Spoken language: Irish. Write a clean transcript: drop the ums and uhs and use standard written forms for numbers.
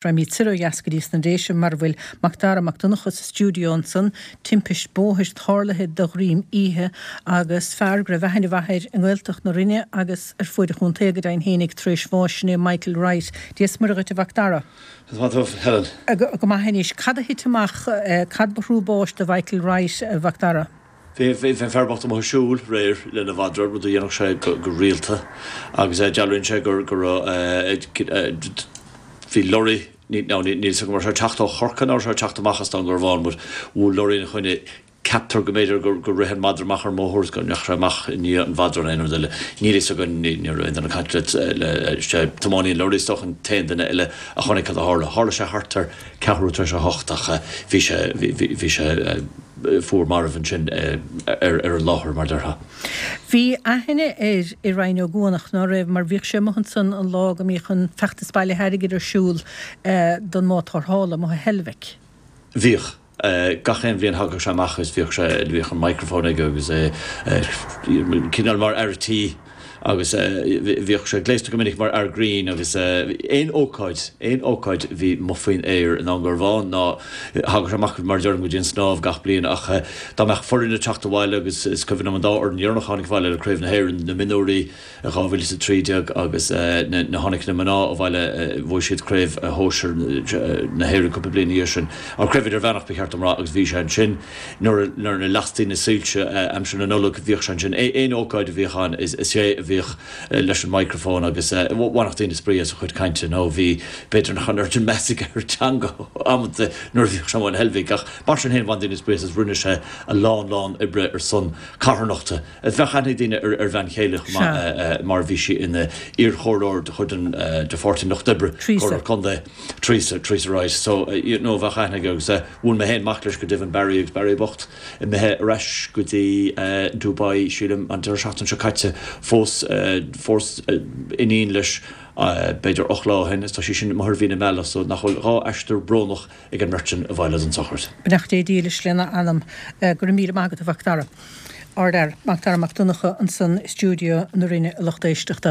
Raghaimid soir ó dheas go dtí sna Déise mar a bhfuil Macdara Mac Donncha sa stiúideo ansan. Timpist bóthair tarlaithe de dhroim oíche agus fear go raibh aithne mhaith air i nGaeltacht na Rinne agus ar fuaid an chontae go deimhin fhéinig tar éis bháis, sin é Michael Wright. Dia 's Muire dhuit a Mhacdara. Is maith thú, Helen. Go maith anois. Cad a thit amach, cad ba thrua báis do Mhichael Wright, a Mhacdara? Bhí an fear bocht amuigh ag siúl aréir lena mhadra, rud a dhéanfadh sé go rialta, agus dealraíonn sé go raibh, bhí lorry, now níl 'fhios agam an raibh sé ag teacht ó Chorcaigh nó an raibh sé ag teacht amach as Dún Garbhán, but bhuail lorry ina choinne, ceaptar go mb'fhéidir gur rith an madra amach ar an mbóthar is go ndeachaigh sé amach i ndiaidh an mhadra nó aon rud eile, níl 'fhios againn, ní raibh aon duine ag caint le, sé tiománaí an lorry is dócha an t-aon duine eile a chonaic cad a tharla. Tharla sé thart ar ceathrú tar éis a hocht ach bhí sé, bhí sé. fuar marbh ansin ar an láthair, mar déarfá. Bhí aithne air i Rinn Ó gCuanach, ná raibh, mar bhíodh sé amuigh ansan an lá go mbíodh an feachtas bailithe airgid ar siúl don mbád tarrthála amuigh i Heilbhic. Bhíodh. Gach aon bhliain thagadh sé amach agus bhíodh sé, bhíodh an microphone aige agus é cineál mar fhear a' tí. Agus bhíodh sé gléasta go minic mar fhear grinn agus aon ócáid, aon ócáid a bhí amuigh faoin aer i nDún Garbhán ná thagadh sé amach mar a deirim go dtí an snámh gach bliain ach dá mbeadh foireann ag teacht abhaile agus is cuimhin liom an dá fhoireann dheireanach a tháinig abhaile le Craobh na hÉireann, na mionúirí i 2013 agus na tháinig na mná abhaile bhuaigh siad Craobh Shóisir na hÉireann cúpla bliain ina dhiaidh sin, an Craobh Idirmheánach ba cheart dom rá agus bhí sé ansin. Nuair a lastaí na soilse aimsir na Nollag bhíodh sé ansin. Aon ócáid a bhíodh ann is é a bhíodh leis an microphone agus bhainfeadh daoine spraoi as a chuid cainte nó bhí, b'fhéidir nach raibh an oiread sin meas aige ar an teanga amanta nuair a bhíodh sé amuigh in Heilbhic ach mar sin féin bhain daoine spraoi as agus rinne sé a lán lán oibre ar son carthanachta. Bheadh aithne ag daoine ar a bhean chéile chomh maith mar bhí sí ina iarchomhairleoir de chuid an de Pháirtí an Lucht Oibre, Comhairleoir Contae, Teresa, Teresa Wright. So you know bheadh aithne aige agus Bhuail mé féin mac leis go deimhin, Barry, agus Barry bocht imithe ar ais go dtí Dubai, sílim, an deireadh seachtaine seo caite. Phós, phós iníon leis b'fhéidir 8 lá ó shin is tá sí sin amuigh ar mhí na meala so nach bhfuil 2 aistear brónach ag an mbeirt sin abhaile don tsochraid. Beannacht Dé dílis lena anam. Go raibh míle maith agat a Mhac Dara. Ardfhear, Mac Dara Mac Donncha ansan i stiúideo na Rinne a lucht éisteachta.